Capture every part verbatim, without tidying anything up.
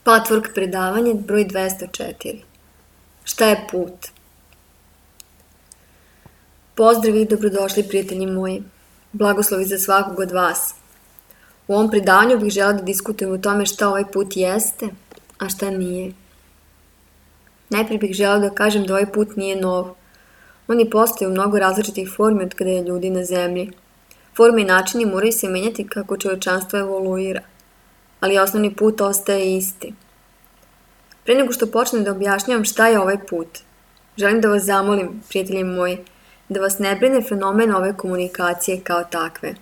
Patchwork predavanje broj dvesta četiri. Šta je put? Pozdrav i dobrodošli, prijatelji moji. Blagoslovi za svakog od vas. U ovom predavanju bih žela da diskutujem o tome šta ovaj put jeste, a šta nije. Najprije bih žela da kažem da ovaj put nije nov. On je postoji u mnogo različitih formi od kada je ljudi na zemlji. Forme i načini moraju se menjati kako čovečanstvo evoluira, ali osnovni put ostaje isti. Pre nego što počnem da objašnjavam šta je ovaj put, želim da vas zamolim, prijatelji moji, da vas ne brine fenomen ove komunikacije kao takve.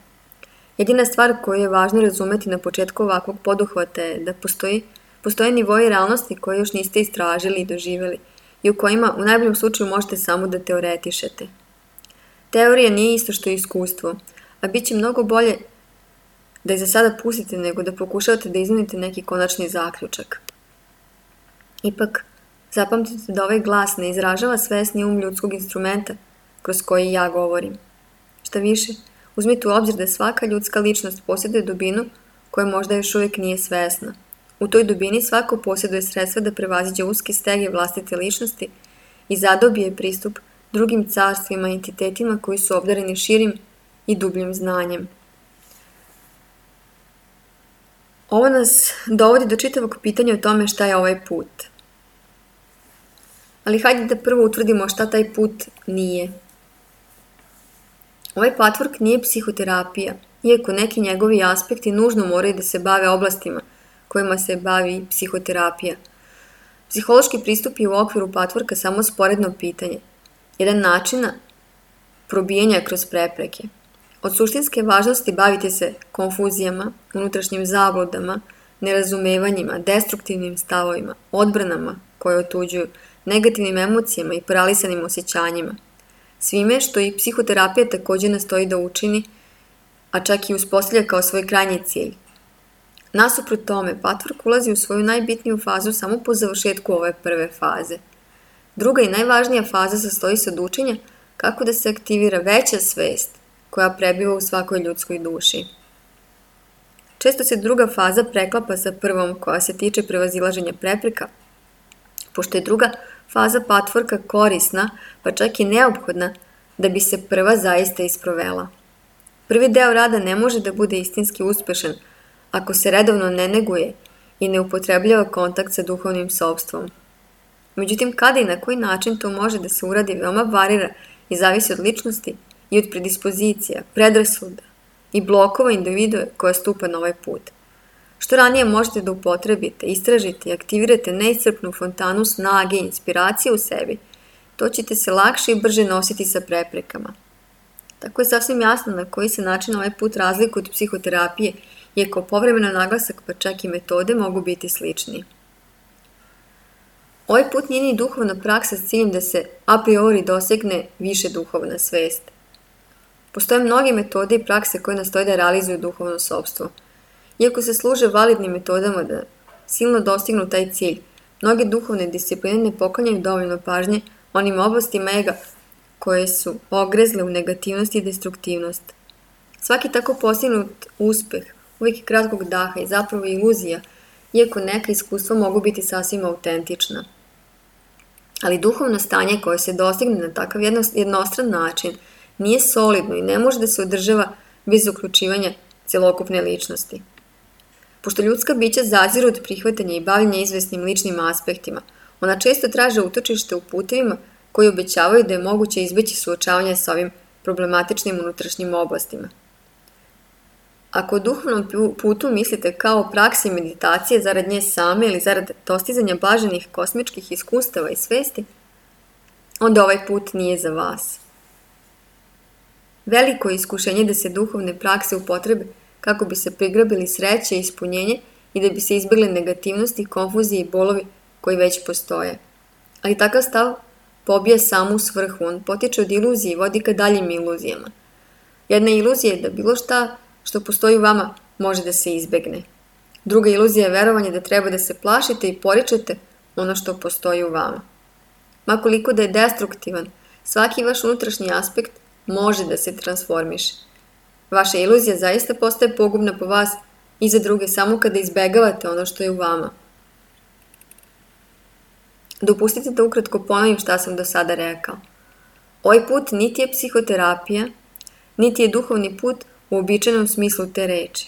Jedina stvar koju je važno razumeti na početku ovakvog poduhvata je da postoji, postoje nivoji realnosti koje još niste istražili i doživjeli i u kojima u najboljem slučaju možete samo da teoretišete. Teorija nije isto što je iskustvo, a bit će mnogo bolje da je za sada pustite nego da pokušavate da iznudite neki konačni zaključak. Ipak, zapamtite da ovaj glas ne izražava svesni um ljudskog instrumenta kroz koji ja govorim. Šta više, uzmite u obzir da svaka ljudska ličnost posjeduje dubinu koja možda još uvijek nije svesna. U toj dubini svako posjeduje sredstva da prevaziđe uske stege vlastite ličnosti i zadobije pristup drugim carstvima i entitetima koji su obdareni širim i dubljim znanjem. Ovo nas dovodi do čitavog pitanja o tome šta je ovaj put. Ali hajde da prvo utvrdimo šta taj put nije. Ovaj patchwork nije psihoterapija, iako neki njegovi aspekti nužno moraju da se bave oblastima kojima se bavi psihoterapija. Psihološki pristup je u okviru patchworka samo sporedno pitanje, jedan načina probijanja kroz prepreke. Od suštinske važnosti bavite se konfuzijama, unutrašnjim zabludama, nerazumevanjima, destruktivnim stavovima, odbranama koje otuđuju, negativnim emocijama i paralisanim osjećanjima. Svime što i psihoterapija također nastoji da učini, a čak i uspostavlja kao svoj krajnji cilj. Nasuprot tome, patchwork ulazi u svoju najbitniju fazu samo po završetku ove prve faze. Druga i najvažnija faza sastoji se od učenja kako da se aktivira veća svest koja prebiva u svakoj ljudskoj duši. Često se druga faza preklapa sa prvom koja se tiče prevazilaženja prepreka, pošto je druga faza patchworka korisna, pa čak i neophodna da bi se prva zaista isprovela. Prvi deo rada ne može da bude istinski uspešan ako se redovno ne neguje i ne upotrebljava kontakt sa duhovnim sopstvom. Međutim, kada i na koji način to može da se uradi veoma varira i zavisi od ličnosti i od predispozicija, predrasuda i blokova individue koja stupa na ovaj put. Što ranije možete da upotrebite, istražite i aktivirate neiscrpnu fontanu snage i inspiracije u sebi, to ćete se lakše i brže nositi sa preprekama. Tako je sasvim jasno na koji se način ovaj put razlikuje od psihoterapije, iako povremeno naglasak pa čak i metode mogu biti slični. Ovaj put nije ni duhovna praksa s ciljem da se a priori dosegne više duhovna svest. Postoje mnoge metode i prakse koje nastoje da realizuju duhovno sopstvo. Iako se služe validnim metodama da silno dostignu taj cilj, mnoge duhovne discipline ne poklanjaju dovoljno pažnje onim oblastima ega koje su ogrezle u negativnost i destruktivnost. Svaki tako postignut uspeh uvijek je kratkog daha i zapravo iluzija, iako neka iskustva mogu biti sasvim autentična. Ali duhovno stanje koje se dostigne na takav jednostran način nije solidno i ne može da se održava bez uključivanja celokupne ličnosti. Pošto ljudska bića zaziru od prihvatanja i bavljenja izvesnim ličnim aspektima, ona često traže utočište u putevima koji obećavaju da je moguće izbeći suočavanje sa ovim problematičnim unutrašnjim oblastima. Ako o duhovnom putu mislite kao o praksi meditacije zarad nje same ili zarad dostizanja blaženih kosmičkih iskustava i svesti, onda ovaj put nije za vas. Veliko je iskušenje da se duhovne prakse upotrebe kako bi se prigrabili sreće i ispunjenje i da bi se izbjegle negativnosti, konfuzije i bolovi koji već postoje. Ali takav stav pobija samu svrhu, on potiče od iluzije i vodi ka daljim iluzijama. Jedna iluzija je da bilo šta što postoji u vama može da se izbegne. Druga iluzija je verovanje da treba da se plašite i poričete ono što postoji u vama. Makoliko da je destruktivan, svaki vaš unutrašnji aspekt može da se transformiše. Vaša iluzija zaista postaje pogubna po vas i za druge samo kada izbegavate ono što je u vama. Dopustite da ukratko ponovim šta sam do sada rekao. Ovaj put niti je psihoterapija, niti je duhovni put u običajnom smislu te reči.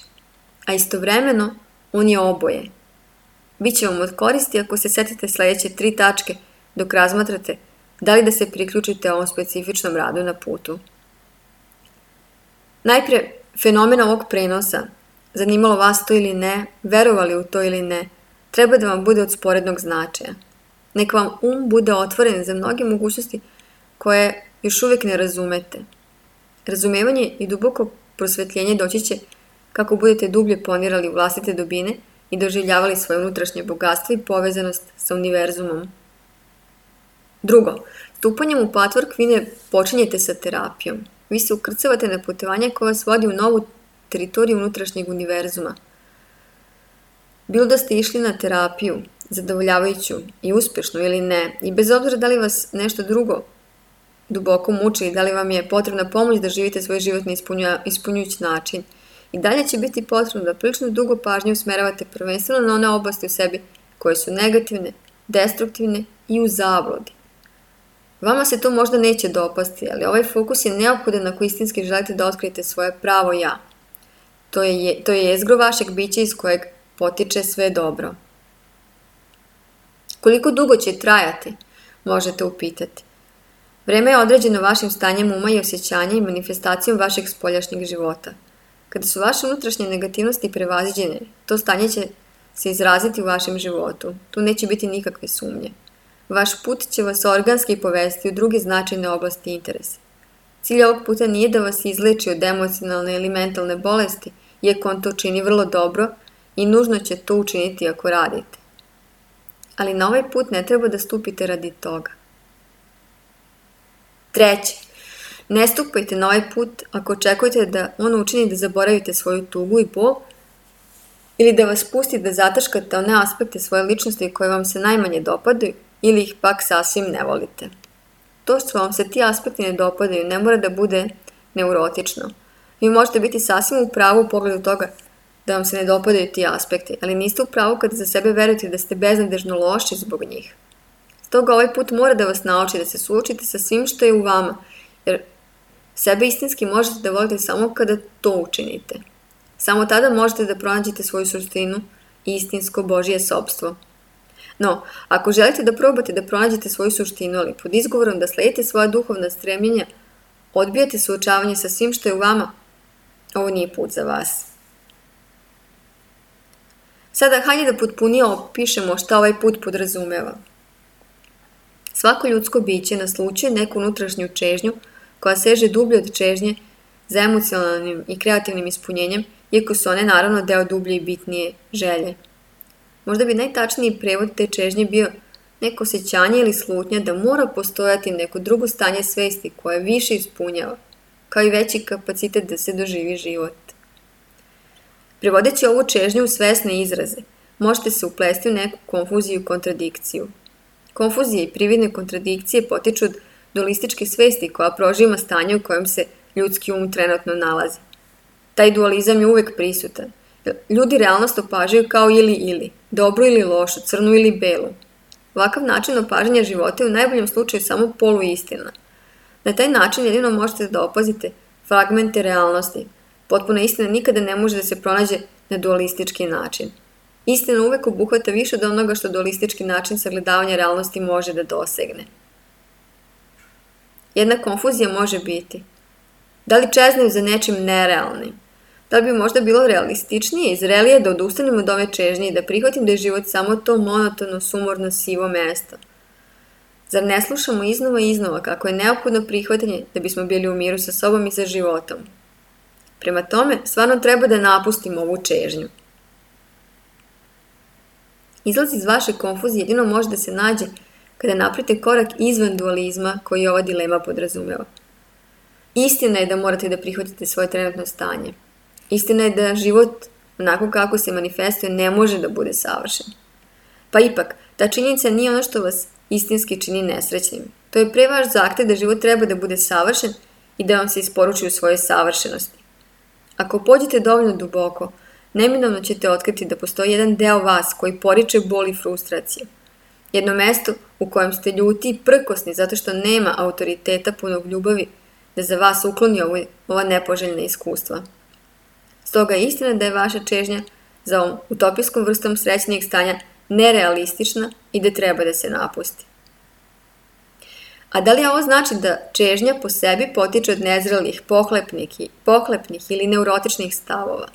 A istovremeno, on je oboje. Biće vam od koristi ako se setite sledeće tri tačke dok razmatrate da li da se priključite ovom specifičnom radu na putu. Najpre, fenomen ovog prenosa, zanimalo vas to ili ne, verovali u to ili ne, treba da vam bude od sporednog značaja. Neka vam um bude otvoren za mnoge mogućnosti koje još uvijek ne razumete. Razumevanje i duboko prosvetljenje doći će kako budete dublje ponirali u vlastite dubine i doživljavali svoje unutrašnje bogatstvo i povezanost sa univerzumom. Drugo, stupanjem u patvork vi ne počinjete sa terapijom. Vi se ukrcavate na putovanje koje vas vodi u novu teritoriju unutrašnjeg univerzuma. Bilo da ste išli na terapiju, zadovoljavajuću i uspešnu ili ne, i bez obzira da li vas nešto drugo duboko muči i da li vam je potrebna pomoć da živite svoj život na ispunjujući način, i dalje će biti potrebno da prilično dugo pažnje usmeravate prvenstveno na one oblasti u sebi koje su negativne, destruktivne i u zabludi. Vama se to možda neće dopasti, ali ovaj fokus je neophodan ako istinski želite da otkrijete svoje pravo ja. To je, to je jezgro vašeg bića iz kojeg potiče sve dobro. Koliko dugo će trajati, možete upitati. Vreme je određeno vašim stanjem uma i osjećanja i manifestacijom vašeg spoljašnjeg života. Kada su vaše unutrašnje negativnosti prevaziđene, to stanje će se izraziti u vašem životu. Tu neće biti nikakve sumnje. Vaš put će vas organski povesti u druge značajne oblasti interesa. Cilj ovog puta nije da vas izleči od emocionalne ili mentalne bolesti, iako on to čini vrlo dobro i nužno će to učiniti ako radite. Ali na ovaj put ne treba da stupite radi toga. Treće, ne stupajte na ovaj put ako očekujete da on učini da zaboravite svoju tugu i bol ili da vas pusti da zataškate one aspekte svoje ličnosti koje vam se najmanje dopadaju ili ih pak sasvim ne volite. To što vam se ti aspekti ne dopadaju ne mora da bude neurotično. Vi možete biti sasvim u pravu u pogledu toga da vam se ne dopadaju ti aspekti, ali niste u pravu kada za sebe verujete da ste beznadežno loši zbog njih. Stoga ovaj put mora da vas nauči da se suočite sa svim što je u vama, jer sebe istinski možete da volite samo kada to učinite. Samo tada možete da pronađete svoju suštinu i istinsko Božje sopstvo. No, ako želite da probate da pronađete svoju suštinu, ali pod izgovorom da sledite svoja duhovna stremljenja, odbijate suočavanje sa svim što je u vama, ovo nije put za vas. Sada, hajde da potpunije opišemo šta ovaj put podrazumeva. Svako ljudsko biće naslućuje neku unutrašnju čežnju koja seže dublje od čežnje za emocionalnim i kreativnim ispunjenjem, iako su one naravno deo dublje i bitnije želje. Možda bi najtačniji prevod te čežnje bio neko osjećanje ili slutnja da mora postojati neko drugo stanje svesti koje više ispunjava, kao i veći kapacitet da se doživi život. Prevodeći ovu čežnju u svesne izraze, možete se uplesti u neku konfuziju i kontradikciju. Konfuzije i prividne kontradikcije potiču od dualističke svesti koja prožima stanje u kojem se ljudski um trenutno nalazi. Taj dualizam je uvek prisutan. Ljudi realnost opažaju kao ili-ili, dobro ili lošo, crnu ili belu. Ovakav način opažanja života je u najboljem slučaju samo poluistina. Na taj način jedino možete da opazite fragmente realnosti. Potpuna istina nikada ne može da se pronađe na dualistički način. Istina uvek obuhvata više od onoga što dualistički način sagledavanja realnosti može da dosegne. Jedna konfuzija može biti: da li čeznem za nečim nerealnim? Da li bi možda bilo realističnije i zrelije da odustanem od ove čežnje i da prihvatim da je život samo to monotono, sumorno, sivo mesto? Zar ne slušamo iznova i iznova kako je neophodno prihvatanje da bismo bili u miru sa sobom i sa životom? Prema tome, stvarno treba da napustimo ovu čežnju. Izlaz iz vaše konfuzije jedino može da se nađe kada napravite korak izvan dualizma koji ova dilema podrazumeva. Istina je da morate da prihvatite svoje trenutno stanje. Istina je da život, onako kako se manifestuje, ne može da bude savršen. Pa ipak, ta činjenica nije ono što vas istinski čini nesrećnim. To je pre vaš zahtev da život treba da bude savršen i da vam se isporuči u svojoj savršenosti. Ako pođete dovoljno duboko, neminovno ćete otkriti da postoji jedan deo vas koji poriče bol i frustracije. Jedno mesto u kojem ste ljuti i prkosni zato što nema autoriteta punog ljubavi da za vas ukloni ovo, ova nepoželjna iskustva. Stoga je istina da je vaša čežnja za ovom utopijskom vrstom srećnijeg stanja nerealistična i da treba da se napusti. A da li ovo znači da čežnja po sebi potiče od nezrelih, pohlepnih, pohlepnih ili neurotičnih stavova?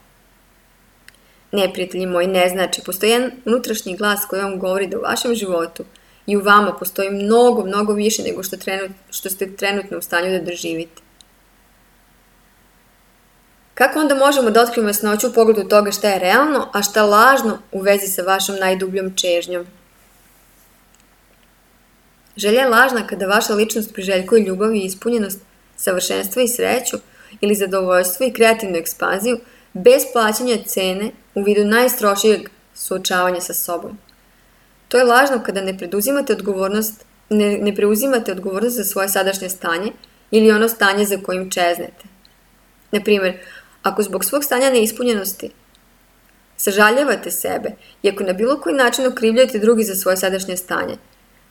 Ne, prijatelji moji, ne znači. Postoji jedan unutrašnji glas koji vam govori da u vašem životu i u vama postoji mnogo, mnogo više nego što, trenut, što ste trenutno u stanju da doživite. Kako onda možemo da otkrijemo jasnoću u pogledu toga šta je realno, a šta lažno u vezi sa vašom najdubljom čežnjom? Želja je lažna kada vaša ličnost priželjkuje ljubav i ispunjenost, savršenstvo i sreću ili zadovoljstvo i kreativnu ekspanziju bez plaćanja cene u vidu najstrožijeg suočavanja sa sobom. To je lažno kada ne preduzimate odgovornost, ne, ne preuzimate odgovornost za svoje sadašnje stanje ili ono stanje za kojim čeznete. Na primjer, ako zbog svog stanja neispunjenosti sažaljavate sebe i ako na bilo koji način okrivljujete drugi za svoje sadašnje stanje,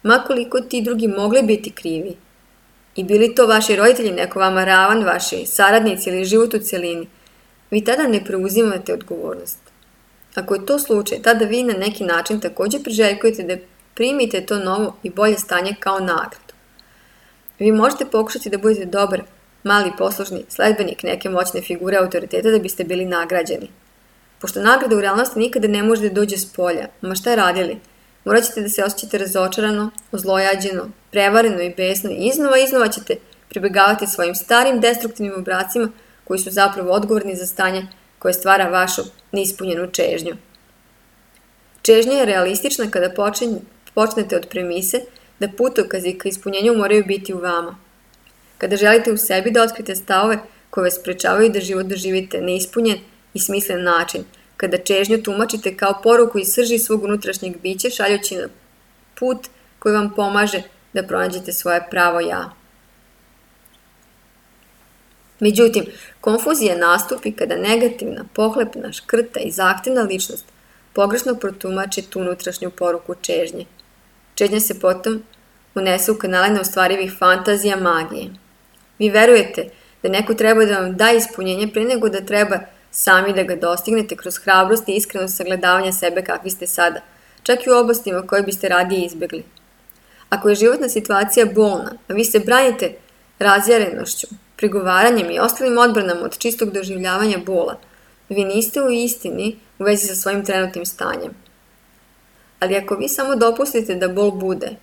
ma koliko ti drugi mogli biti krivi, i bili to vaši roditelji, neko vama ravan, vaši saradnici ili život u celini, vi tada ne preuzimate odgovornost. Ako je to slučaj, tada vi na neki način također priželjkujete da primite to novo i bolje stanje kao nagradu. Vi možete pokušati da budete dobar, mali poslušni sledbenik neke moćne figure autoriteta da biste bili nagrađeni. Pošto nagrada u realnosti nikada ne može da dođe s polja, ma šta radili? Morat ćete da se osjećate razočarano, ozlojađeno, prevareno i besno i iznova i iznova ćete pribegavati svojim starim destruktivnim obracima koji su zapravo odgovorni za stanje koje stvara vašu neispunjenu čežnju. Čežnja je realistična kada počinje, počnete od premise da putokazi ka ispunjenju moraju biti u vama. Kada želite u sebi da otkrite stavove koje vas sprečavaju da život doživite neispunjen i smislen način, kada čežnju tumačite kao poruku iz srži svog unutrašnjeg bića šaljući na put koji vam pomaže da pronađete svoje pravo ja. Međutim, konfuzija nastupi kada negativna, pohlepna, škrta i zahtevna ličnost pogrešno protumači tu unutrašnju poruku čežnje. Čežnja se potom unese u kanale neostvarivih fantazija magije. Vi verujete da neko treba da vam da ispunjenje pre nego da treba sami da ga dostignete kroz hrabrost i iskreno sagledavanje sebe kakvi ste sada, čak i u oblastima koje biste radije izbjegli. Ako je životna situacija bolna, a vi se branite razjarenošću, prigovaranjem i ostalim odbranama od čistog doživljavanja bola, vi niste u istini u vezi sa svojim trenutnim stanjem. Ali ako vi samo dopustite da bol bude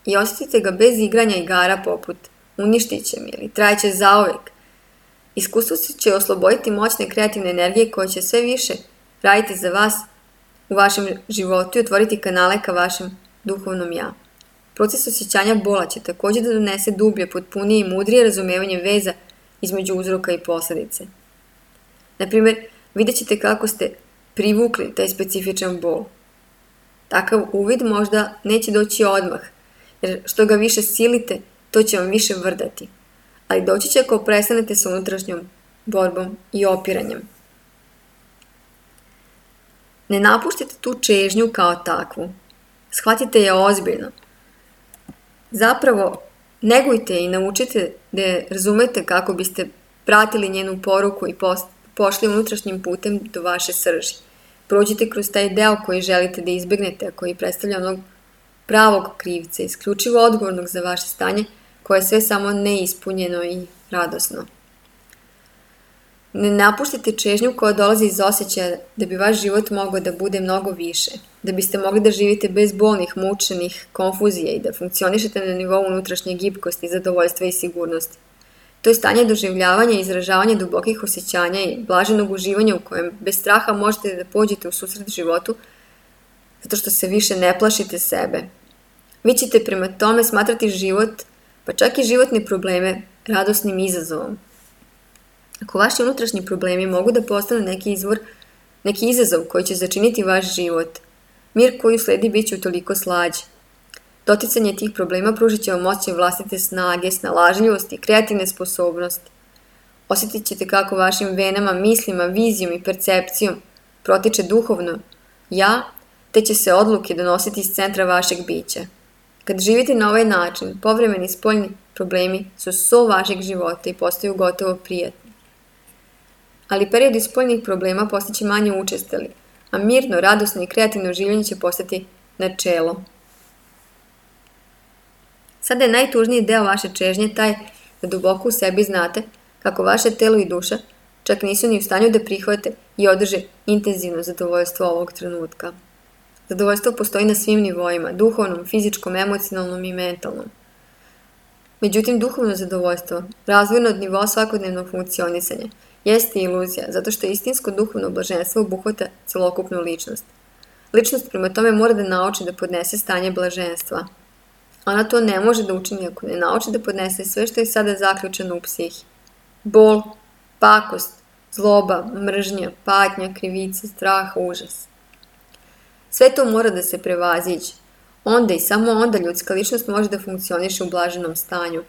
i osjetite ga bez igranja igara poput uništit će mi ili trajeće zauvek, iskustvo će osloboditi moćne kreativne energije koje će sve više raditi za vas u vašem životu i otvoriti kanale ka vašem duhovnom ja. Proces osjećanja bola će također da donese dublje, potpunije i mudrije razumevanje veza između uzroka i posljedice. Naprimjer, vidjet ćete kako ste privukli taj specifičan bol. Takav uvid možda neće doći odmah, jer što ga više silite, to će vam više vrdati. Ali doći će ako prestanete sa unutrašnjom borbom i opiranjem. Ne napuštite tu čežnju kao takvu. Shvatite je ozbiljno. Zapravo, negujte i naučite da je razumete kako biste pratili njenu poruku i pošli unutrašnjim putem do vaše srži. Prođite kroz taj deo koji želite da izbjegnete, a koji predstavlja onog pravog krivca, isključivo odgovornog za vaše stanje, koje je sve samo neispunjeno i radosno. Ne napuštite čežnju koja dolazi iz osjećaja da bi vaš život mogao da bude mnogo više, da biste mogli da živite bez bolnih, mučenih, konfuzija i da funkcionišete na nivou unutrašnje gibkosti, zadovoljstva i sigurnosti. To je stanje doživljavanja i izražavanja dubokih osjećanja i blaženog uživanja u kojem bez straha možete da pođete u susret životu zato što se više ne plašite sebe. Vi ćete prema tome smatrati život, pa čak i životne probleme, radosnim izazovom. Ako vaši unutrašnji problemi mogu da postanu neki izvor, neki izazov koji će začiniti vaš život, mir koji usledi bit će utoliko slađi. Doticanje tih problema pružit će vam moćne vlastite snage, snalažljivosti i kreativne sposobnosti. Osjetit ćete kako vašim venama, mislima, vizijom i percepcijom protiče duhovno ja te će se odluke donositi iz centra vašeg bića. Kad živite na ovaj način, povremeni spoljni problemi su so vašeg života i postaju gotovo prijatni. Ali periodi spoljnih problema postaće manje učestali, a mirno, radosno i kreativno življenje će postati načelo. Sada je najtužniji deo vaše čežnje taj da duboko u sebi znate kako vaše telo i duša čak nisu ni u stanju da prihvate i održe intenzivno zadovoljstvo ovog trenutka. Zadovoljstvo postoji na svim nivoima, duhovnom, fizičkom, emocionalnom i mentalnom. Međutim, duhovno zadovoljstvo, razvojno od nivoa svakodnevnog funkcionisanja, jeste iluzija, zato što istinsko duhovno blaženstvo obuhvata celokupnu ličnost. Ličnost prema tome mora da nauči da podnese stanje blaženstva. Ona to ne može da učini ako ne nauči da podnese sve što je sada zaključeno u psihi. Bol, pakost, zloba, mržnja, patnja, krivica, strah, užas. Sve to mora da se prevaziđe. Onda i samo onda ljudska ličnost može da funkcioniše u blaženom stanju.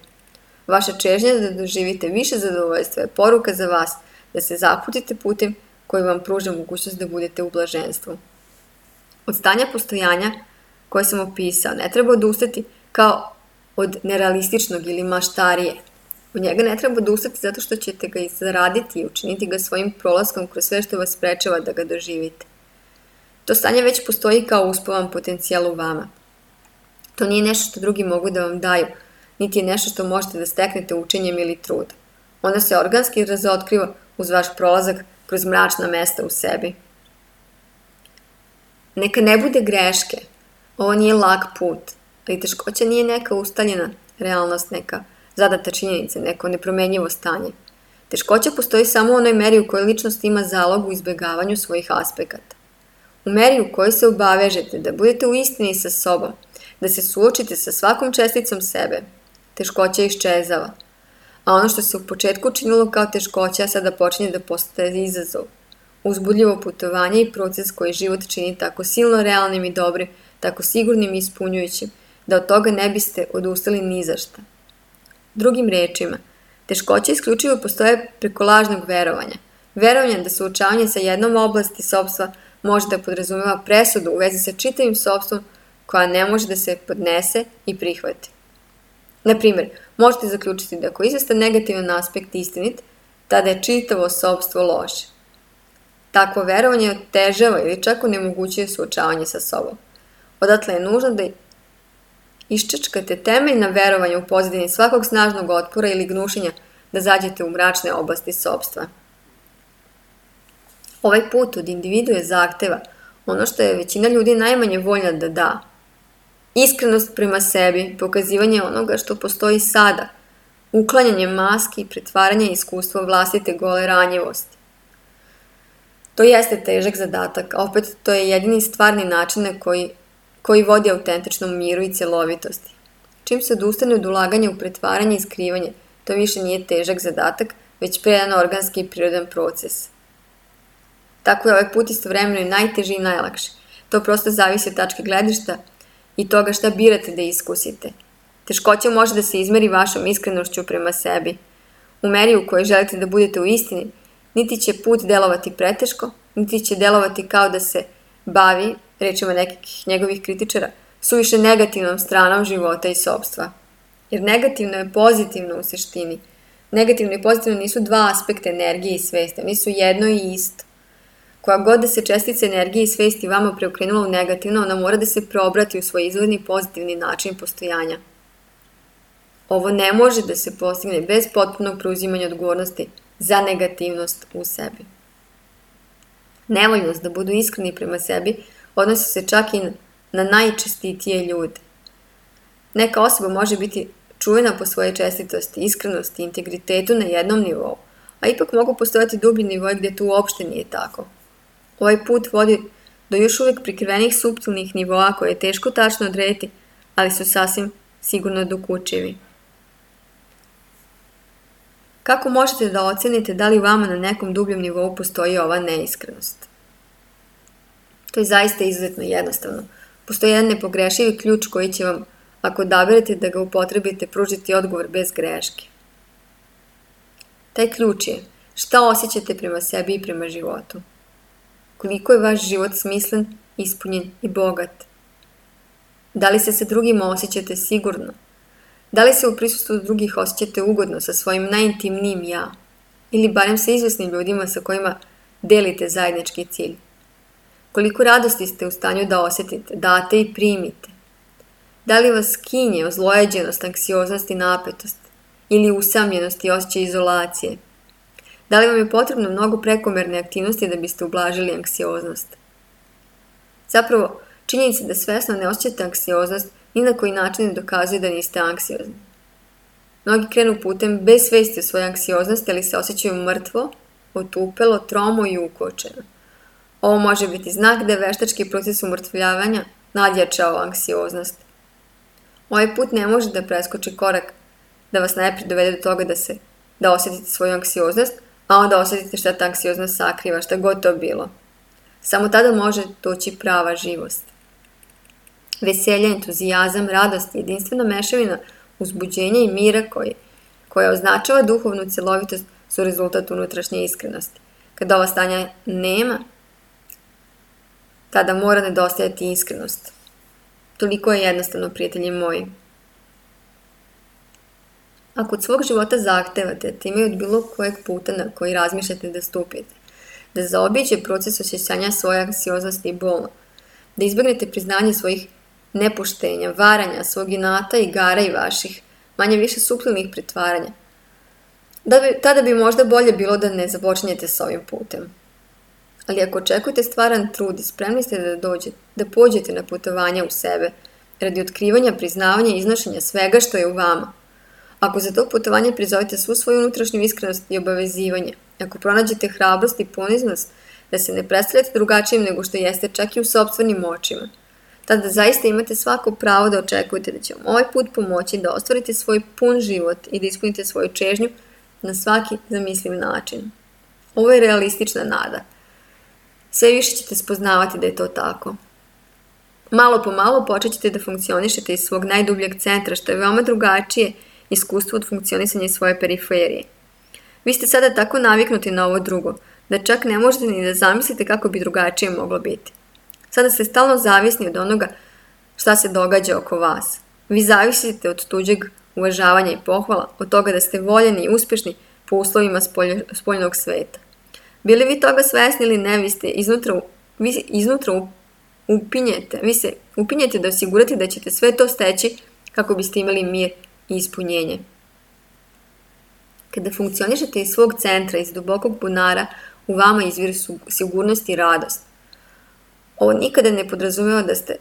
Vaša čežnja da doživite više zadovoljstva je poruka za vas da se zaputite putem koji vam pruža mogućnost da budete u blaženstvu. Od stanja postojanja koje sam opisao ne treba odustati kao od nerealističnog ili maštarije. Od njega ne treba odustati zato što ćete ga i zaraditi i učiniti ga svojim prolaskom kroz sve što vas sprečava da ga doživite. To stanje već postoji kao uspavan potencijal u vama. To nije nešto što drugi mogu da vam daju, niti je nešto što možete da steknete učenjem ili trudom. Ono se organski razotkriva uz vaš prolazak kroz mračna mesta u sebi. Neka ne bude greške. Ovo nije lak put, ali teškoća nije neka ustaljena realnost, neka zadata činjenica, neko nepromenjivo stanje. Teškoća postoji samo u onoj meri u kojoj ličnost ima zalog u izbegavanju svojih aspekata. U meri u kojoj se obavežete da budete u istini sa sobom, da se suočite sa svakom česticom sebe, teškoća iščezava. A ono što se u početku činilo kao teškoća sada počinje da postaje izazov. Uzbudljivo putovanje i proces koji život čini tako silno realnim i dobrim, tako sigurnim i ispunjujućim, da od toga ne biste odustali ni za šta. Drugim rečima, teškoće isključivo postoje preko lažnog verovanja. Verovanja da suočavanje sa jednom oblasti sopstva može da podrazumeva presudu u vezi sa čitavim sopstvom koja ne može da se podnese i prihvati. Naprimjer, možete zaključiti da ako je izvestan negativan aspekt istinit, tada je čitavo sopstvo loše. Takvo verovanje otežava ili čak onemogućuje suočavanje sa sobom. Odatle je nužno da iščačkate temeljna verovanja u pozadini svakog snažnog otpora ili gnušenja da zađete u mračne oblasti sopstva. Ovaj put od individue zahteva ono što je većina ljudi najmanje voljna da da. Iskrenost prema sebi, pokazivanje onoga što postoji sada, uklanjanje maski i pretvaranje iskustva vlastite gole ranjivosti. To jeste težak zadatak, a opet to je jedini stvarni način na koji, koji vodi autentičnom miru i celovitosti. Čim se odustane od ulaganja u pretvaranje i skrivanje, to više nije težak zadatak, već predan organski i prirodan proces. Tako je ovaj put istovremeno i najteži i najlakši. To prosto zavisi od tačke gledišta i toga šta birate da iskusite. Teškoća može da se izmeri vašom iskrenošću prema sebi. U meri u kojoj želite da budete u istini, niti će put delovati preteško, niti će delovati kao da se bavi, rečima nekih njegovih kritičara, suviše negativnom stranom života i sopstva. Jer negativno je pozitivno u suštini. Negativno i pozitivno nisu dva aspekta energije i svesti, oni su jedno i isto. Koja god da se čestica energije i svesti vama preokrenula u negativno, ona mora da se preobrati u svoj izvorni pozitivni način postojanja. Ovo ne može da se postigne bez potpunog preuzimanja odgovornosti za negativnost u sebi. Nevoljnost da budu iskreni prema sebi odnosi se čak i na najčestitije ljude. Neka osoba može biti čuvena po svoje čestitosti, iskrenosti i integritetu na jednom nivou, a ipak mogu postojati dublji nivoji gdje to uopšte nije tako. Ovaj put vodi do još uvijek prikrivenih suptilnih nivoa koje je teško tačno odrediti, ali su sasvim sigurno dokučivi. Kako možete da ocenite da li vama na nekom dubljem nivou postoji ova neiskrenost? To je zaista izuzetno jednostavno. Postoji jedan nepogrešivi ključ koji će vam, ako odaberete da ga upotrebite, pružiti odgovor bez greške. Taj ključ je šta osjećate prema sebi i prema životu. Koliko je vaš život smislen ispunjen i bogat? Da li se sa drugima osjećate sigurno? Da li se u prisustvu drugih osjećate ugodno sa svojim najintimnijim ja? Ili barem sa izvesnim ljudima sa kojima delite zajednički cilj? Koliko radosti ste u stanju da osjetite, date i primite? Da li vas kinje ozlojeđenost, anksioznost i napetost? Ili usamljenost i osjećaj izolacije? Da li vam je potrebno mnogo prekomerne aktivnosti da biste ublažili anksioznost? Zapravo, činjenica da svesno ne osjećate anksioznost ni na koji način ne dokazuje da niste anksiozni. Mnogi krenu putem bez svesti o svojoj anksioznosti, ali se osjećaju mrtvo, otupelo, tromo i ukočeno. Ovo može biti znak da je veštački proces umrtvljavanja nadjačao anksioznost. Ovaj put ne može da preskoči korak da vas najprije dovede do toga da se da osjetite svoju anksioznost, a onda osjetite šta ta anksioznost sakriva, šta god to bilo. Samo tada može doći prava živost. Veselje, entuzijazam, radost i jedinstvena mešavina uzbuđenja i mira koji, koja označava duhovnu celovitost su rezultat unutrašnje iskrenosti. Kada ova stanja nema, tada mora nedostajati iskrenost. Toliko je jednostavno, prijatelji moji. Ako od svog života zahtevate time od bilo kojeg puta na koji razmišljate da stupite, da zaobiđe proces osjećanja svoje anksioznosti i bolno, da izbjegnete priznanje svojih nepoštenja, varanja, svog inata, igara i vaših manje više suptilnih pretvaranja, da bi, tada bi možda bolje bilo da ne započinjete s ovim putem. Ali ako očekujete stvaran trud i spremni ste da dođete, da pođete na putovanje u sebe, radi otkrivanja, priznavanja i iznošenja svega što je u vama, ako za to putovanje prizovete svu svoju unutrašnju iskrenost i obavezivanje, ako pronađete hrabrost i poniznost da se ne predstavljate drugačijim nego što jeste čak i u sopstvenim očima, tada zaista imate svako pravo da očekujete da će vam ovaj put pomoći da ostvarite svoj pun život i da ispunite svoju čežnju na svaki zamisliv način. Ovo je realistična nada. Sve više ćete spoznavati da je to tako. Malo po malo počet ćete da funkcionišete iz svog najdubljeg centra, što je veoma drugačije iskustvo od funkcionisanja iz svoje periferije. Vi ste sada tako naviknuti na ovo drugo, da čak ne možete ni da zamislite kako bi drugačije moglo biti. Sada ste stalno zavisni od onoga šta se događa oko vas. Vi zavisite od tuđeg uvažavanja i pohvala, od toga da ste voljeni i uspješni po uslovima spoljnog sveta. Bili vi toga svesni ili ne, vi ste iznutra, vi iznutra upinjete, vi se upinjete da osigurate da ćete sve to steći kako biste imali mir i ispunjenje. Kada funkcionišete iz svog centra, iz dubokog bunara, u vama izvire sigurnost i radost. Ovo nikada ne podrazumeva da ste,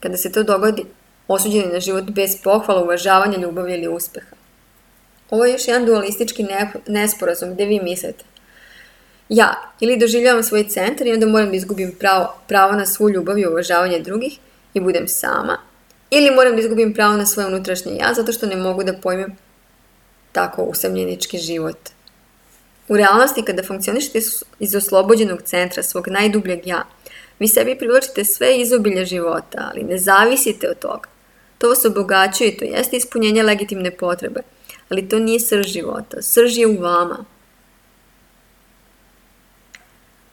kada se to dogodi, osuđeni na život bez pohvala, uvažavanja, ljubavi ili uspeha. Ovo je još jedan dualistički nesporazum gde vi mislite: ja ili doživljavam svoj centar i onda moram da izgubim pravo, pravo na svu ljubav i uvažavanje drugih i budem sama, ili moram da izgubim pravo na svoje unutrašnje ja zato što ne mogu da pojmem tako usamljenički život. U realnosti, kada funkcionišete iz oslobođenog centra svog najdubljeg ja, vi sebi privlačite sve izobilje života, ali ne zavisite od toga. To vas obogaćuje i to jeste ispunjenje legitimne potrebe, ali to nije srž života. Srž je u vama.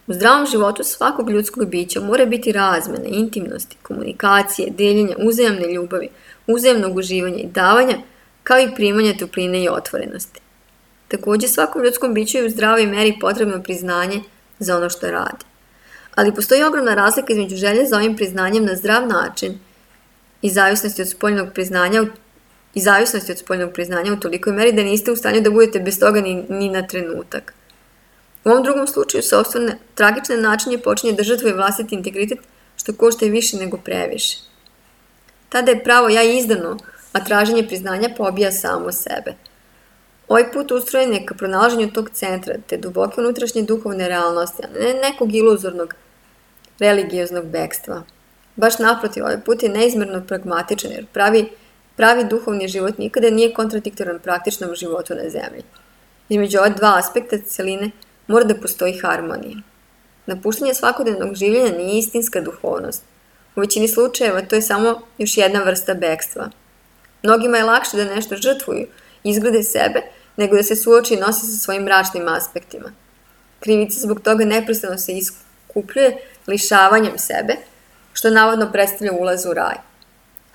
U zdravom životu svakog ljudskog bića mora biti razmene, intimnosti, komunikacije, deljenja, uzajamne ljubavi, uzajamnog uživanja i davanja, kao i primanja topline i otvorenosti. Također, svakom ljudskom biću je u zdravoj meri potrebno priznanje za ono što radi. Ali postoji ogromna razlika između želje za ovim priznanjem na zdrav način i zavisnosti od spoljnog priznanja i zavisnosti od spoljnog priznanja u tolikoj meri da niste u stanju da budete bez toga ni, ni na trenutak. U ovom drugom slučaju sopstvene tragične načinje počinje da žrtvuje vlastiti integritet, što košta i više nego previše. Tada je pravo ja izdano, a traženje priznanja pobija samo sebe. Ovaj put ustrojen je ka pronalaženju tog centra, te duboke unutrašnje duhovne realnosti, a ne nekog iluzornog religioznog bekstva. Baš naprotiv, ovaj put je neizmerno pragmatičan, jer pravi, pravi duhovni život nikada nije kontradiktoran praktičnom životu na zemlji. Između ova dva aspekta celine mora da postoji harmonija. Napuštanje svakodnevnog življenja nije istinska duhovnost. U većini slučajeva to je samo još jedna vrsta bekstva. Mnogima je lakše da nešto žrtvuju, izgrade sebe, nego da se suoči i nosi sa svojim mračnim aspektima. Krivica zbog toga neprestano se iskupljuje lišavanjem sebe, što navodno predstavlja ulaz u raj.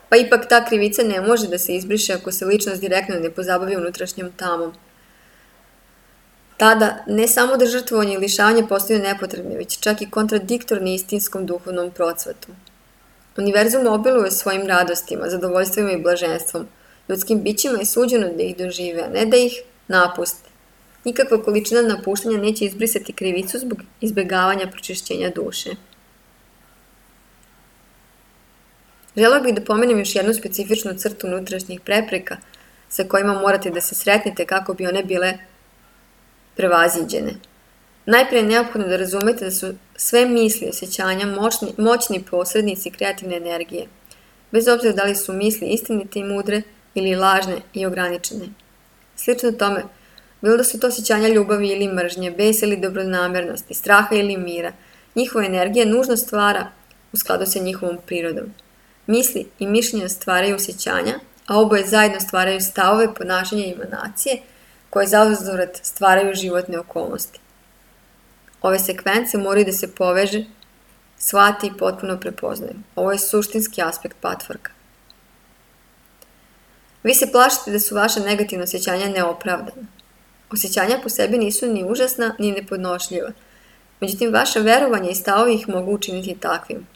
Pa ipak ta krivica ne može da se izbriše ako se ličnost direktno ne pozabavi unutrašnjom tamom. Tada ne samo da žrtvovanje i lišavanje postaju nepotrebni, već čak i kontradiktorni istinskom duhovnom procvatu. Univerzum obiluje svojim radostima, zadovoljstvima i blaženstvom. Ljudskim bićima je suđeno da ih dožive, a ne da ih napuste. Nikakva količina napuštanja neće izbrisati krivicu zbog izbegavanja pročišćenja duše. Želeo bih da pomenem još jednu specifičnu crtu unutrašnjih prepreka sa kojima morate da se sretnete kako bi one bile prevaziđene. Najprije je neophodno da razumete da su sve misli i osjećanja moćni, moćni posrednici kreativne energije, bez obzira da li su misli istinite i mudre ili lažne i ograničene. Slično tome, bilo da su to osjećanja ljubavi ili mržnje, besa ili dobronamernosti, straha ili mira, njihova energija nužno stvara u skladu sa njihovom prirodom. Misli i mišljenja stvaraju osjećanja, a oboje zajedno stvaraju stavove, ponašanja i emanacije, koje zauzvrat stvaraju životne okolnosti. Ove sekvence moraju da se poveže, shvati i potpuno prepoznaju. Ovo je suštinski aspekt patvorka. Vi se plašite da su vaša negativna osjećanja neopravdana. Osjećanja po sebi nisu ni užasna, ni nepodnošljiva. Međutim, vaša verovanja i stavovi ih mogu učiniti takvim.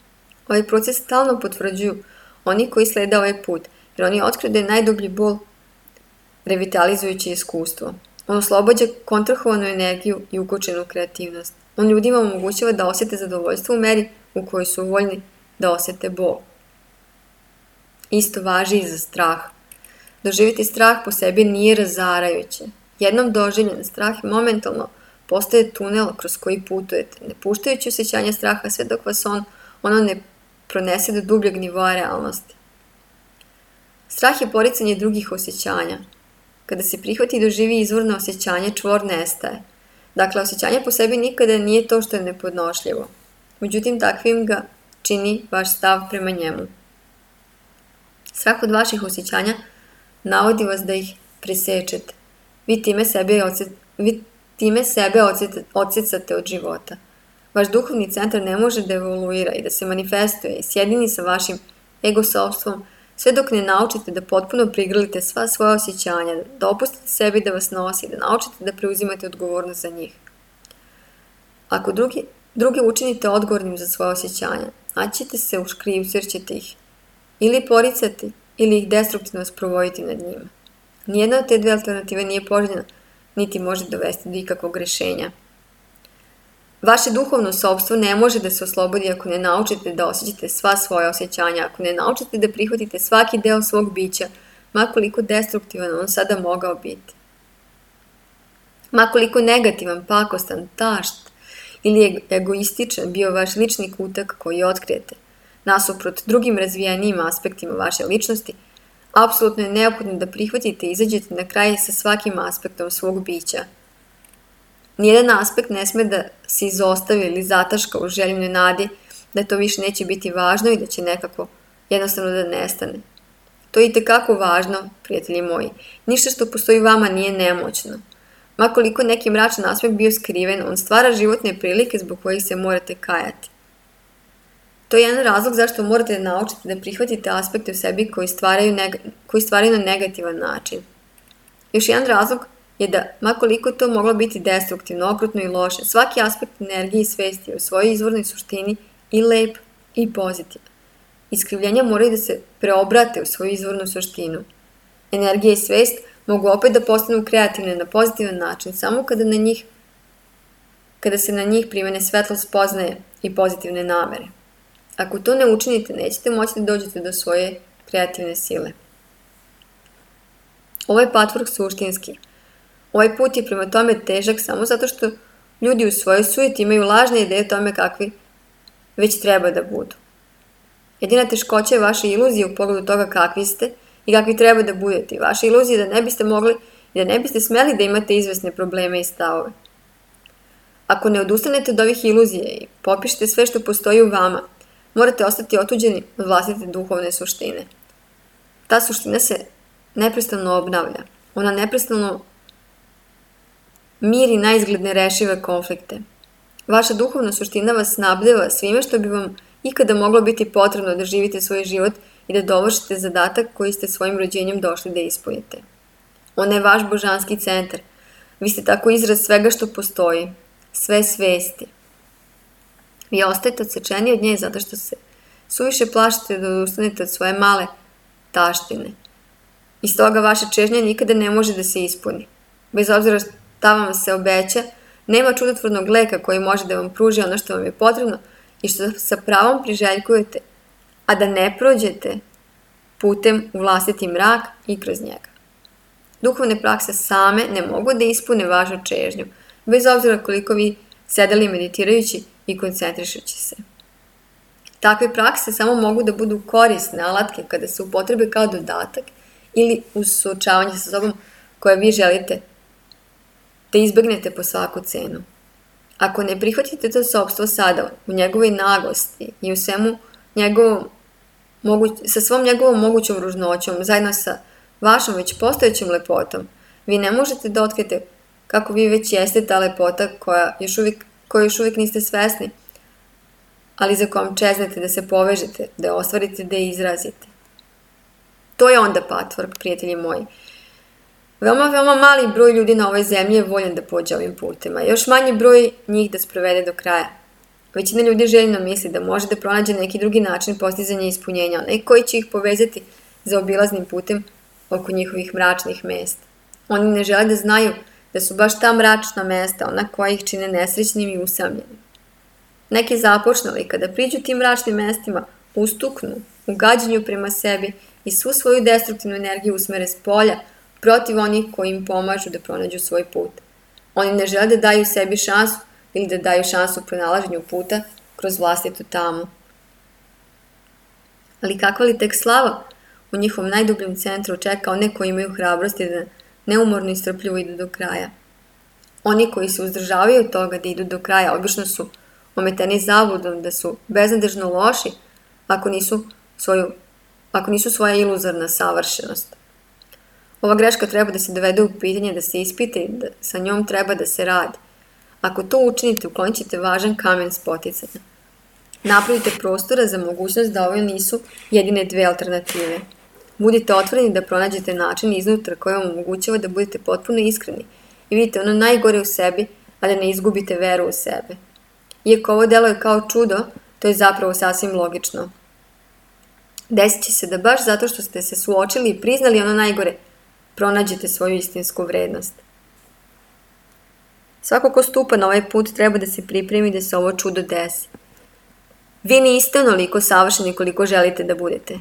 Ovaj proces stalno potvrđuju oni koji slede ovaj put, jer oni otkriju da je najdublji bol revitalizujuće iskustvo. On oslobađa kontrahovanu energiju i ukočenu kreativnost. On ljudima omogućava da osjete zadovoljstvo u meri u kojoj su voljni da osjete bol. Isto važi i za strah. Doživjeti strah po sebi nije razarajuće. Jednom doživljen strah momentalno postaje tunel kroz koji putujete, ne puštajući osjećanja straha sve dok vas on, ono ne pronese do dubljeg nivoa realnosti. Strah je poricanje drugih osjećanja. Kada se prihvati i doživi izvorno osjećanje, čvor nestaje. Dakle, osjećanje po sebi nikada nije to što je nepodnošljivo. Međutim, takvim ga čini vaš stav prema njemu. Strah od vaših osjećanja navodi vas da ih presečete. Vi time sebe, odsjet, vi time sebe odsjet, odsjecate od života. Vaš duhovni centar ne može da evoluira i da se manifestuje i sjedini sa vašim ego-sopstvom, sve dok ne naučite da potpuno prigrlite sva svoja osjećanja, da opustite sebi da vas nosi, da naučite da preuzimate odgovornost za njih. Ako drugi, druge učinite odgovornim za svoje osjećanja, naćete se u škrivcu jer ćete ih ili poricati ili ih destruktivno sprovoditi nad njima. Nijedna od te dve alternative nije poželjna, niti može dovesti do ikakvog rešenja. Vaše duhovno sopstvo ne može da se oslobodi ako ne naučite da osjećate sva svoja osjećanja, ako ne naučite da prihvatite svaki deo svog bića, makoliko destruktivan on sada mogao biti. Makoliko negativan, pakostan, tašt ili egoističan bio vaš lični kutak koji otkrijete, nasuprot drugim razvijenijim aspektima vaše ličnosti, apsolutno je neophodno da prihvatite i izađete na kraj sa svakim aspektom svog bića. Nijedan aspekt ne sme da se izostavi ili zataška u željivnoj nadi da to više neće biti važno i da će nekako jednostavno da nestane. To je itekako važno, prijatelji moji. Ništa što postoji u vama nije nemoćno. Makoliko neki mračan aspekt bio skriven, on stvara životne prilike zbog kojih se morate kajati. To je jedan razlog zašto morate da naučite da prihvatite aspekte u sebi koji stvaraju, neg koji stvaraju na negativan način. Još jedan razlog je da, makoliko to moglo biti destruktivno, okrutno i loše, svaki aspekt energije i svesti je u svojoj izvornoj suštini i lep i pozitivan. Iskrivljenja moraju da se preobrate u svoju izvornu suštinu. Energija i svest mogu opet da postanu kreativne na pozitivan način samo kada, na njih, kada se na njih primene svetlost spoznaje i pozitivne namere. Ako to ne učinite, nećete moći da dođete do svoje kreativne sile. Ovo je patvork suštinski. Ovaj put je prema tome težak samo zato što ljudi u svojoj sujeti imaju lažne ideje o tome kakvi već treba da budu. Jedina teškoća je vaša iluzija u pogledu toga kakvi ste i kakvi treba da budete. Vaša iluzija je da ne biste mogli i da ne biste smeli da imate izvesne probleme i stavove. Ako ne odustanete od ovih iluzija i popišete sve što postoji u vama, morate ostati otuđeni od vlastite duhovne suštine. Ta suština se neprestano obnavlja. Ona neprestano miri naizgled nerešive konflikte. Vaša duhovna suština vas snabdeva svime što bi vam ikada moglo biti potrebno da živite svoj život i da dovršite zadatak koji ste svojim rođenjem došli da ispunite. Ona je vaš božanski centar. Vi ste tako izraz svega što postoji, sve svesti. Vi ostajete odsečeni od nje zato što se suviše plašite da odustanete od svoje male taštine. I stoga vaša čežnja nikada ne može da se ispuni. Bez obzira šta vam se obeća, nema čudotvornog leka koji može da vam pruži ono što vam je potrebno i što sa pravom priželjkujete, a da ne prođete putem u vlastiti mrak i kroz njega. Duhovne prakse same ne mogu da ispune vašu čežnju, bez obzira koliko vi sedeli meditirajući i koncentrišući se. Takve prakse samo mogu da budu korisne alatke kada se upotrebe kao dodatak ili uz suočavanje sa sobom koje vi želite da izbegnete po svaku cenu. Ako ne prihvatite to sopstvo sada u njegovoj naglosti i u svemu njegovom, moguć, sa svom njegovom mogućom ružnoćom, zajedno sa vašom već postojećom lepotom, vi ne možete da otkrijete kako vi već jeste ta lepota koja još uvijek, koju još uvijek niste svesni, ali za kojom čeznete da se povežete, da je ostvarite, da je izrazite. To je onda patvork, prijatelji moji. Veoma, veoma mali broj ljudi na ovoj zemlji je voljan da pođe ovim putima, još manji broj njih da sprovede do kraja. Većina ljudi željno misli da može da pronađe neki drugi način postizanja ispunjenja, onaj koji će ih povezati za obilaznim putem oko njihovih mračnih mesta. Oni ne žele da znaju da su baš ta mračna mesta ona koja ih čine nesrećnim i usamljenim. Neki započnali kada priđu tim mračnim mestima, ustuknu u gađenju prema sebi i svu svoju destruktivnu energiju usmere s polja protiv onih koji im pomažu da pronađu svoj put. Oni ne žele da daju sebi šansu ili da daju šansu u pronalaženju puta kroz vlastitu tamu. Ali kakva li tek slava u njihovom najdubljem centru čeka one koji imaju hrabrosti da neumorno i strpljivo idu do kraja. Oni koji se uzdržavaju od toga da idu do kraja obično su ometeni zabludom da su beznadežno loši ako nisu, svoju, ako nisu svoja iluzorna savršenost. Ova greška treba da se dovede u pitanje, da se ispita i da sa njom treba da se radi. Ako to učinite, uklonit ćete važan kamen spoticanja. Napravite prostora za mogućnost da ove nisu jedine dve alternative. Budite otvoreni da pronađete način iznutra koji vam omogućava da budete potpuno iskreni i vidite ono najgore u sebi, a da ne izgubite veru u sebe. Iako ovo deluje kao čudo, to je zapravo sasvim logično. Desit će se da baš zato što ste se suočili i priznali ono najgore, pronađete svoju istinsku vrednost. Svako ko stupa na ovaj put treba da se pripremi da se ovo čudo desi. Vi niste onoliko savršeni koliko želite da budete.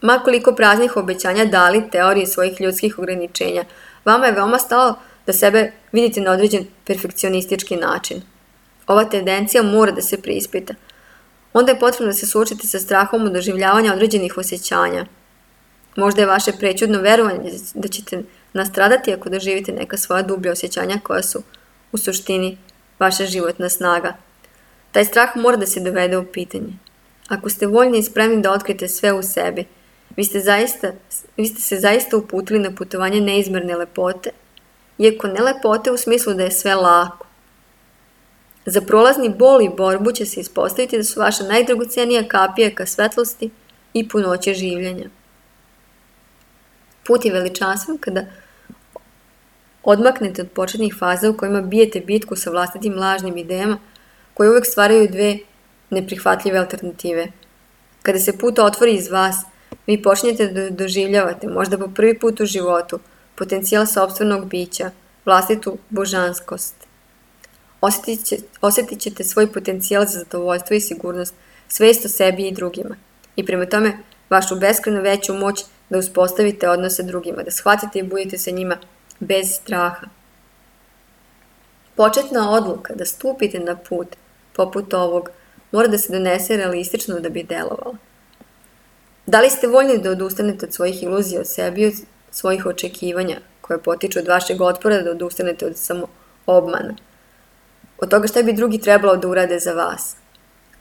Ma koliko praznih obećanja dali teorije svojih ljudskih ograničenja, vama je veoma stalo da sebe vidite na određen perfekcionistički način. Ova tendencija mora da se preispita. Onda je potrebno da se suočite sa strahom od doživljavanja određenih osjećanja. Možda je vaše prećudno verovanje da ćete nastradati ako doživite neka svoja dublja osjećanja koja su u suštini vaša životna snaga. Taj strah mora da se dovede u pitanje. Ako ste voljni i spremni da otkrijete sve u sebi, vi ste, zaista, vi ste se zaista uputili na putovanje neizmerne lepote, iako ne lepote u smislu da je sve lako. Za prolazni bol i borbu će se ispostaviti da su vaša najdragocenija kapija ka svetlosti i punoće življenja. Put je veličanstven kada odmaknete od početnih faza u kojima bijete bitku sa vlastitim lažnim idejama koje uvek stvaraju dve neprihvatljive alternative. Kada se put otvori iz vas, vi počinjete da doživljavate, možda po prvi put u životu, potencijal sopstvenog bića, vlastitu božanskost. Osjetit, će, osjetit ćete svoj potencijal za zadovoljstvo i sigurnost, svest o sebi i drugima. I prema tome, vašu beskrajno veću moć da uspostavite odnose drugima, da shvatite i budete sa njima bez straha. Početna odluka da stupite na put, poput ovog, mora da se donese realistično da bi delovala. Da li ste voljni da odustanete od svojih iluzija o sebi i od svojih očekivanja, koje potiču od vašeg otpora da odustanete od samo obmana? Od toga šta bi drugi trebalo da urade za vas?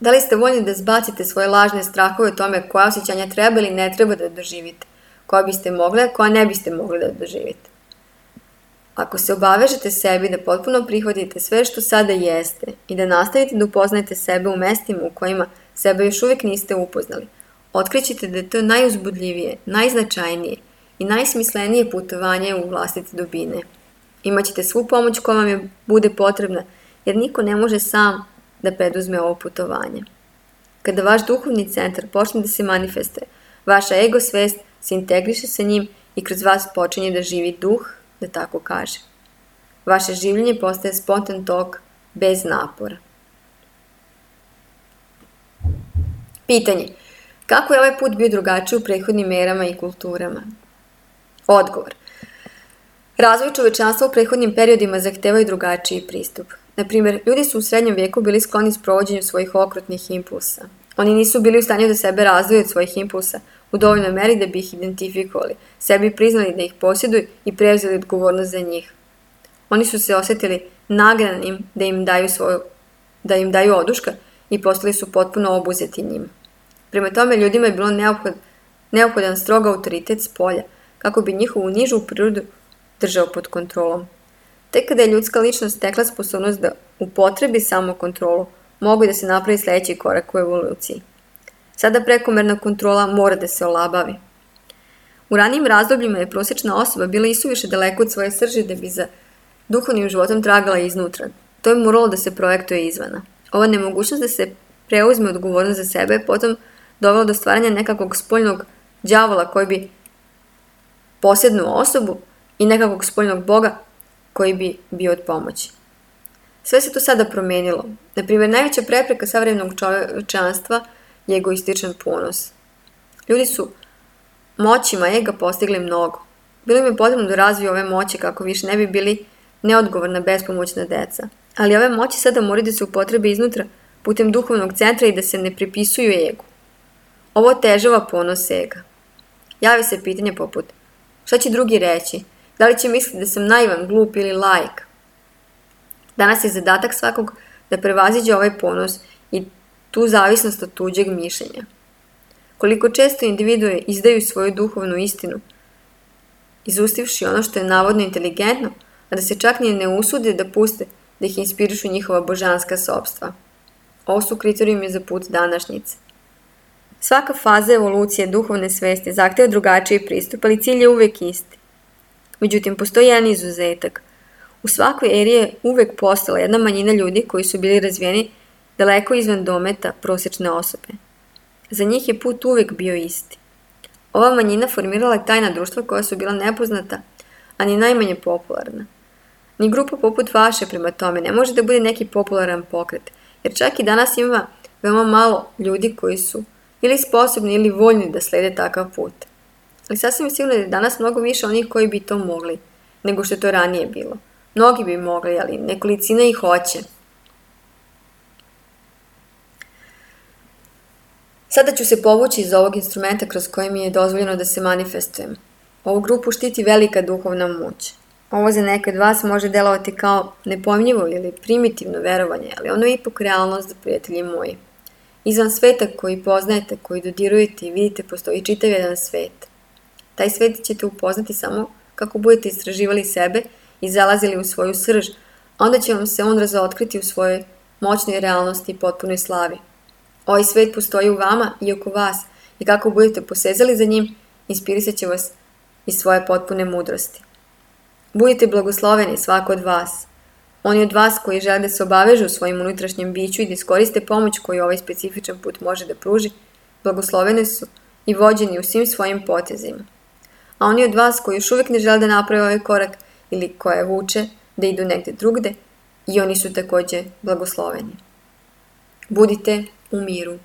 Da li ste voljni da zbacite svoje lažne strahove o tome koja osjećanja treba ili ne treba da doživite, koja biste mogli, a koja ne biste mogli da doživite? Ako se obavežete sebi da potpuno prihvatite sve što sada jeste i da nastavite da upoznajete sebe u mestima u kojima sebe još uvijek niste upoznali, otkrićete da je to najuzbudljivije, najznačajnije i najsmislenije putovanje u vlastite dubine. Imaćete svu pomoć koja vam je bude potrebna, jer niko ne može sam da preduzme ovo putovanje. Kada vaš duhovni centar počne da se manifestuje, vaša ego svest se integriše sa njim i kroz vas počinje da živi duh, da tako kaže. Vaše življenje postaje spontan tok, bez napora. Pitanje. Kako je ovaj put bio drugačiji u prethodnim erama i kulturama? Odgovor. Razvoj čovečanstva u prethodnim periodima zahtevaju drugačiji pristup. Naprimjer, ljudi su u srednjem vijeku bili skloni sprovođenju svojih okrutnih impulsa. Oni nisu bili u stanju da sebe razdvoje od svojih impulsa u dovoljnoj meri da bi ih identifikovali, sebi priznali da ih posjeduju i preuzeli odgovornost za njih. Oni su se osjetili nagranim da im daju, svoju, da im daju oduška i postali su potpuno obuzeti njima. Prema tome, ljudima je bilo neophod, neophodan strog autoritet s polja, kako bi njihovu nižu prirodu držao pod kontrolom. Tek kada je ljudska ličnost stekla sposobnost da upotrebi samokontrolu, mogu da se napravi sljedeći korak u evoluciji. Sada prekomerna kontrola mora da se olabavi. U ranijim razdobljima je prosječna osoba bila isuviše daleko od svoje srži da bi za duhovnim životom tragala iznutra. To je moralo da se projektuje izvana. Ova nemogućnost da se preuzme odgovornost za sebe je potom dovela do stvaranja nekakvog spoljnog đavola koji bi posjednuo osobu i nekakvog spoljnog boga koji bi bio od pomoći. Sve se to sada promenilo. Naprimjer, najveća prepreka savremenog čovečanstva je egoističan ponos. Ljudi su moćima ega postigli mnogo. Bilo im je potrebno da razviju ove moći kako više ne bi bili neodgovorna, bespomoćna deca. Ali ove moći sada moraju da se upotrebe iznutra putem duhovnog centra i da se ne pripisuju egu. Ovo otežava ponos ega. Javi se pitanje poput: šta će drugi reći? Da li će misliti da sam naivan, glup ili laik? Danas je zadatak svakog da prevaziđe ovaj ponos i tu zavisnost od tuđeg mišljenja. Koliko često individue izdaju svoju duhovnu istinu, izustivši ono što je navodno inteligentno, a da se čak ni ne usude da puste da ih inspirišu njihova božanska sopstva. Ovo su kriterijumi za put današnjice. Svaka faza evolucije duhovne svesti zahteva drugačiji pristup, ali cilj je uvek isti. Međutim, postoji jedan izuzetak. U svakoj eri je uvek postala jedna manjina ljudi koji su bili razvijeni daleko izvan dometa prosječne osobe. Za njih je put uvek bio isti. Ova manjina formirala je tajna društva koja su bila nepoznata, a ni najmanje popularna. Ni grupa poput vaše prema tome ne može da bude neki popularan pokret, jer čak i danas ima veoma malo ljudi koji su ili sposobni ili voljni da slede takav put. Ali sasvim je sigurno da je danas mnogo više onih koji bi to mogli, nego što je to ranije bilo. Mnogi bi mogli, ali nekolicina ih hoće. Sada ću se povući iz ovog instrumenta kroz koji mi je dozvoljeno da se manifestujem. Ovu grupu štiti velika duhovna moć. Ovo za neke od vas može delovati kao nepojmljivo ili primitivno verovanje, ali ono je ipak realnost, prijatelji moji. Izvan sveta koji poznajete, koji dodirujete i vidite, postoji čitav jedan svet. Taj svet ćete upoznati samo kako budete istraživali sebe i zalazili u svoju srž, a onda će vam se on razotkriti u svojoj moćnoj realnosti i potpunoj slavi. Ovaj svet postoji u vama i oko vas i kako budete posezali za njim, inspirisat će vas iz svoje potpune mudrosti. Budite blagosloveni svako od vas. Oni od vas koji žele da se obavežu u svojim unutrašnjem biću i da iskoriste pomoć koju ovaj specifičan put može da pruži, blagosloveni su i vođeni u svim svojim potezima. A oni od vas koji još uvijek ne žele da naprave ovaj korak ili koje vuče da idu negde drugde, i oni su također blagosloveni. Budite u miru.